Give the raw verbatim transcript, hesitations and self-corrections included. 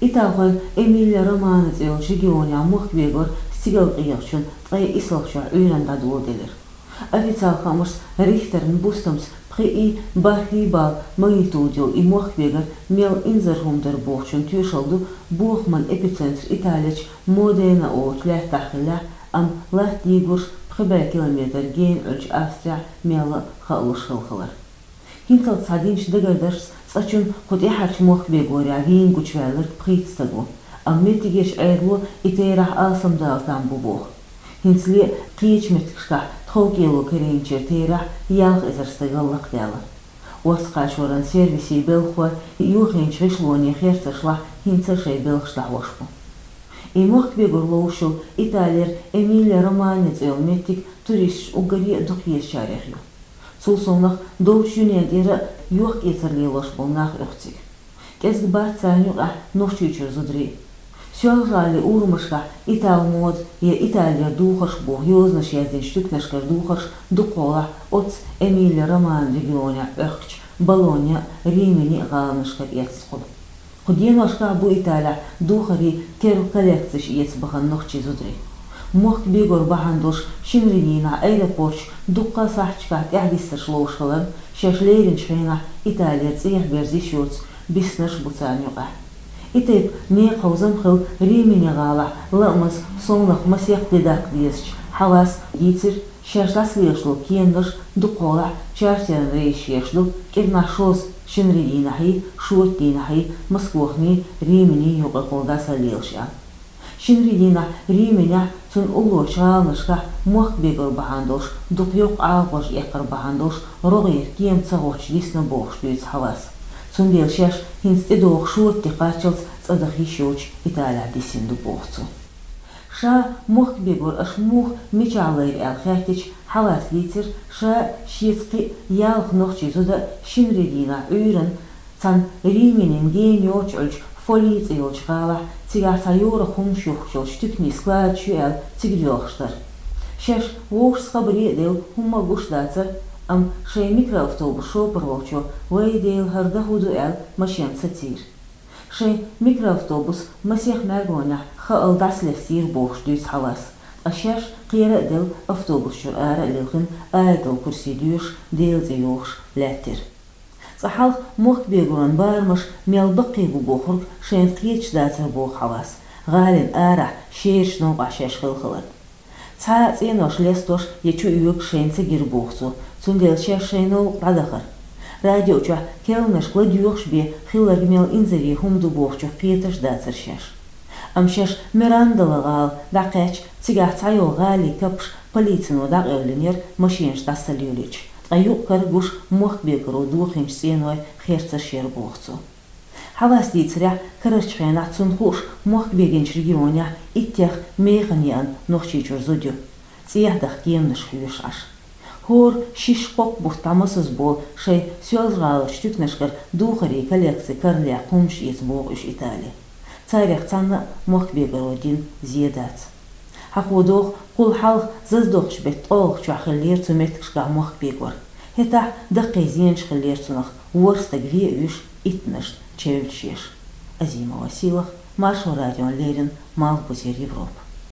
Италхойн Эмилия Романья цӀе йолчу регионехь мохк бегор стигалкъегӀачун ткъе исалгӀачохь Ӏуьйранна дӀадоладелира. Официалан хаамашца, Рихтеран бустамца пхи и бархӀ балла магнитуда йолу и мохк бегар мел инзаре хӀума дара бохучун тоьшалла ду бохаман эпицентр Италерчу Модена олучу лаьттахь хиллехь, амма латта дийгорш пхи бӀе километр гена Ӏуьллучу Австрехь мелла а хаалуш хилла хилар. ХӀинцалц схьадинчу дагардаршца, цкъачунна кху тӀаьхьарчу мохк бегорехь вийна гучуваьлларг пхийтта стаг ву, амма меттигерчу Ӏедало и терахь алсамдала там бу боху. ХӀинцале а кхечу меттигашкахь тховкӀело карийначеран терахь ялх эзар стагал лакхадаьлла. Орца кхачоран сервисийн белхахой юьхинчу гӀишлонийн херцаршлахь хӀинца а шайн белхаш дӀахьош бу. И мохк бегор ловш йолу Италера Эмилия Романья цӀе йолу меттиг туристашна уггаре а дукха езачарех ю. Цул совнаха долчу дуьненан тӀера а йохк-эцар лелош болу нах оьху цига. КӀезиг бац царна юкъахь Нохчийчуьра зударий. Соьлжа-ГӀалин урамашкахь «Итал мода» я «Италера духарш» боху йозанаш яздинчу туьканашкара духарш дукхахьолахь оццу Эмилия Романья регионехь Ӏохкучу Болонья а, Римини а гӀаланашкара эцна хуьлу. Кху деношкахь бу Италехь духарийн керла коллекцеш эца бахана нохчийн зударий. Мохк бегор бахьана долуш шинарин дийнахь аэропортехь дуккха а сахьташкахь тӀаьхьадиссарш ловш хиларна, шаьш леринчу хенахь Италера цӀехьа берза йиш йоцу биснарш а бу царна юкъахь. И тайпа некъаховзам хилла Римини гӀалахь лаамаза, совнаха масех де даккха дезачу Хьавас дийцира, шаьш дӀасалелаш долу кеманаш дукхахьолахь чартеран рейсаш еш ду, кӀирнахь шозза, шинарин дийнахьий, шоьтан дийнахьий, Москвахний, Риминий юкъахула дӀасалелаш аьлла. Шинарин дийнахь Риминехь, цунна уллорчу гӀаланашкахь мохк бегор бахьана долуш, дукха йоккха Ӏалашонаш эккхар бахьана долуш, рогӀера кема ца гӀоттуш дисна бохуш дуьйцу Хьавас. Цундела шаьш хӀинца тӀедогӀу шоьтан де кхаччалц цӀа даха йиш йоцуш Италехь дисина ду боху цо. Ша мохк бегор аша муха, мичахь лайра аьлла хаьттича, Хьавас дийцира, ша, шеца кхин а ялх нохчийн зуда а шинарин дийнахь Ӏуьйранна цхьана Риминин гена йоццуш Ӏуьллучу Фолий цӀе йолчу гӀалахь, цигахь цхьа йорах хӀуманаш юхкуш йолчу туьканийн складаш ю аьлла, цига доьлхуш дара. Шаьш вовшашца хабаре а делла, хӀумма а гуш дацара, амма шайн микроавтобус шопар волчо, вай Дела, хӀара дан хӀун ду аьлла, машен сацийра. Шайн микроавтобус масех мӀаьргонехь хаалла дӀасалестийра бохуш дуьйцу Хьавас, ткъа шаьш кхера а делла, автобус чуьра ара а лилхина, Аятал-Курси доьшуш, Делан цӀе йохуш лаьттира. Цкъа хьалха мохк бегоран барамаш мел баккхий бу бохург шайна кхеташ дацара боху Хьавас, гӀалина арахь шерачу новкъахь шаьш хилла хиларна. Цхьа а цӀенош лестош я чу оьгуш шайна ца гира боху цо, цундела шаьш шайн новкъа дӀадахара. Радио чохь керланашка ладоьгӀуш бен хилларг мел инзаре хӀума ду бохучух кхеташ а дацара шаьш. Амма шаьш Мирандала гӀала дӀакхаьчча, цигахь цхьайолу гӀалин капаш полицино дӀакъевлинера машенаш дӀасалелийча, ткъа юкъ-кара гуш мохк бегоро дохийначу цӀеной херцарш яра боху цо. Хьавас дийцарехь, карарчу хенахь цунна хууш мохк бегинчу регионехь иттех механа еана Нохчийчуьра зуда ю, цӀехьа даха кеманаш хьоьшуш Ӏаш. ХӀора шишша-кхоккха бутт дӀамасаза болу шайн Соьлжа-ГӀаларчу туьканашкара духарийн коллекци карладаккха хӀуманаш эца боху уьш Итали. Царех цхьанна а мохк бегоро дина зен дац. Хьахо догӀу, кхул хьалха зазадоккхучу беттан ткъолгӀачохь хиллера цу меттигашкахь мохк бегор. ХӀетахь даккхий зенаш хиллера цунах, ворхӀ стаг вен а вуьйш, иттанашна чевллаш еш. Азима Василах, Маршо радиона леррина, Малхбузера Европа.